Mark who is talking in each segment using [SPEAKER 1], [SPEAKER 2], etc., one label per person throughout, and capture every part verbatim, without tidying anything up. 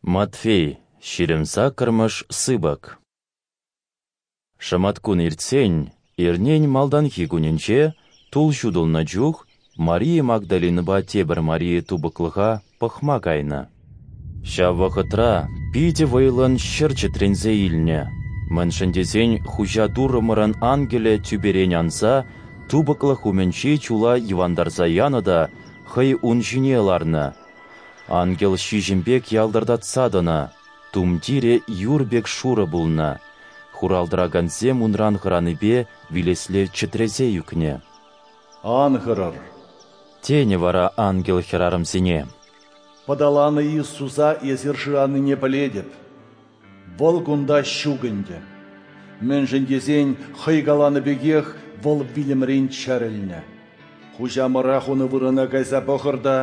[SPEAKER 1] Матфей, ҫирӗм саккӑрмӗш сыпӑк. Шӑматкун иртсен, эрнен малтанхи кунӗнче, тул ҫутӑлнӑ чух, Мария Магдалинӑпа тепӗр Мария тупӑклӑха пӑхма кайнӑ. Ҫав вӑхӑтра питӗ вӑйлӑн ҫӗр чӗтренсе илнӗ, мӗншӗн тесен Хуҫа Туррӑмӑрӑн ангелӗ тӳперен анса тупӑклӑх умӗнчи чула йӑвантарса янӑ та хӑй ун ҫине ларнӑ. Ангел ҫиҫӗм пек ялтӑртатса тӑнӑ, тумтирӗ юр пек шурӑ пулнӑ. Хурал тӑракансем унран хӑранипе вилесле чӗтресе ӳкнӗ.
[SPEAKER 2] «Ан хӑрӑр»,
[SPEAKER 1] тенӗ вара ангел хӗрарӑмсене.
[SPEAKER 2] «Пӑталанӑ Иисуса эсир шыранине пӗлетӗп. Вӑл кунта ҫук ӗнтӗ, мӗншӗн тесен хӑй каланӑ пекех вӑл вилӗмрен чӗрӗлнӗ. Хуҫамӑра хунӑ вырӑна кайса пӑхӑр та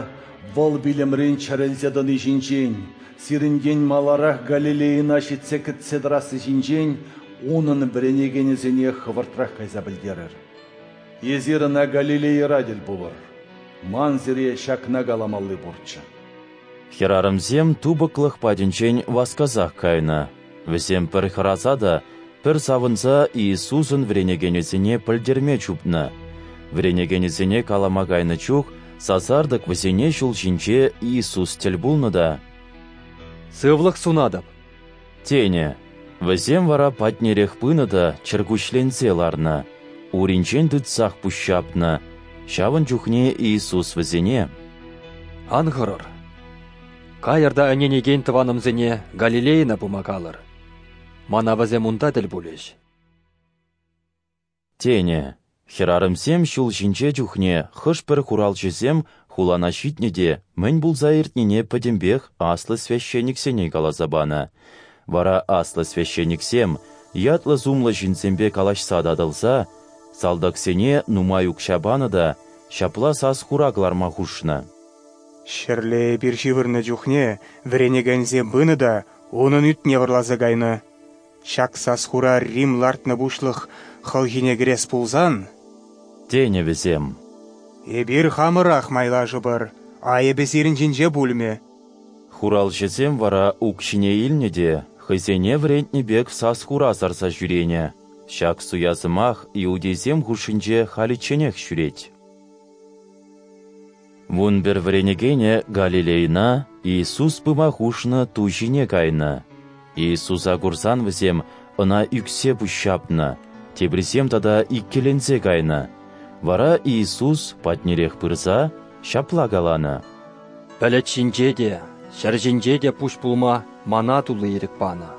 [SPEAKER 2] вӑл вилӗмрен чӗрӗлсе тӑни ҫинчен, сирӗнтен маларах Галилейӑна ҫитсе кӗтсе тӑрасси ҫинчен унӑн вӗренекенӗсене хӑвӑртрах кайса пӗлтерӗр. Эсир ӑна Галилейӑра тӗл пулӑр. Ман сире ҫакна каламалли пурччӗ».
[SPEAKER 1] Хӗрарӑмсем тупӑклӑх патӗнчен васкасах кайнӑ. Вӗсем пӗр хӑраса та пӗр савӑнса Иисусӑн вӗренекенӗсене пӗлтерме чупнӑ. Вӗренекенӗсене калама кайнӑ чух сасартӑк вӗсене ҫул ҫинче Иисус тӗл пулнӑ та
[SPEAKER 3] «Сывлӑх сунатӑп»,
[SPEAKER 1] тенӗ. Вӗсем вара патнерех пынӑ та чӗркуҫленсе ларнӑ, уринчен тытсах пуҫҫапнӑ. Ҫавӑн чухне Иисус вӗсене:
[SPEAKER 3] «Ан хӑрӑр. Кайӑр та ӗненекен тӑванӑмсене Галилейӑна пыма калӑр. Мана вӗсем унта тӗл пулӗҫ»,
[SPEAKER 1] тенӗ. Хӗрарӑмсем ҫул ҫинче чухне хӑш-пӗр хуралҫӑсем хулана ҫитнӗ те мӗн пулса иртнине пӗтӗмпех аслӑ священниксене каласа панӑ. Вара аслӑ священниксем ятлӑ-сумлӑ ҫынсемпе калаҫса татӑлса салтаксене нумай укҫа панӑ та ҫапла сас-хура кӑларма хушнӑ.
[SPEAKER 4] «Ҫӗрле эпир ҫывӑрнӑ чухне вӗренекенсем пынӑ та унӑн ӳтне вӑрласа кайнӑ. Ҫак сас-хура Рим лартнӑ пуҫлӑх хӑлхине кӗрес пулсан,
[SPEAKER 1] тенӗ вӗсем,
[SPEAKER 4] эпир хамӑрах майлашӑпӑр, айӑпӗ сирӗн ҫинче пулмӗ».
[SPEAKER 1] Хуралҫӑсем вара укҫине илнӗ те хӑйсене вӗрентнӗ пек сас-хура сарса ҫӳренӗ. Ҫак суя сӑмах иудейсем хушшинче халичченех ҫӳрет. Вун пӗр вӗренекенӗ Галилейӑна Иисус пыма хушнӑ ту ҫине кайнӑ. Иисуса курсан вӗсем ӑна ӳксе пуҫҫапнӑ, теприсем тата иккӗленсе кайнӑ. Вара Иисус патнерех пырса ҫапла каланӑ:
[SPEAKER 3] «Пӗлӗт ҫинче те, ҫӗр ҫинче те пуҫ пулма мана тулли ирӗк панӑ.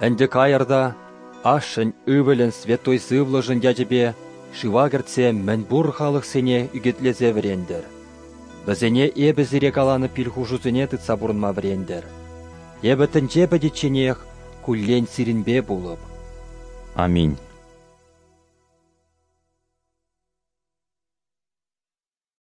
[SPEAKER 3] Ӗнтӗ кайӑр та Ашшӗн, Ывӑлӗн, Святой Сывлӑшӗн ячӗпе шыва кӗртсе мӗнпур халӑхсене ӳкӗтлесе вӗрентӗр. Вӗсене эпӗ сире каланӑ пил-хушусене тытса пурӑнма вӗрентӗр. Эпӗ тӗнче пӗтичченех куллен сирӗнпе пулӑп».
[SPEAKER 1] Аминь.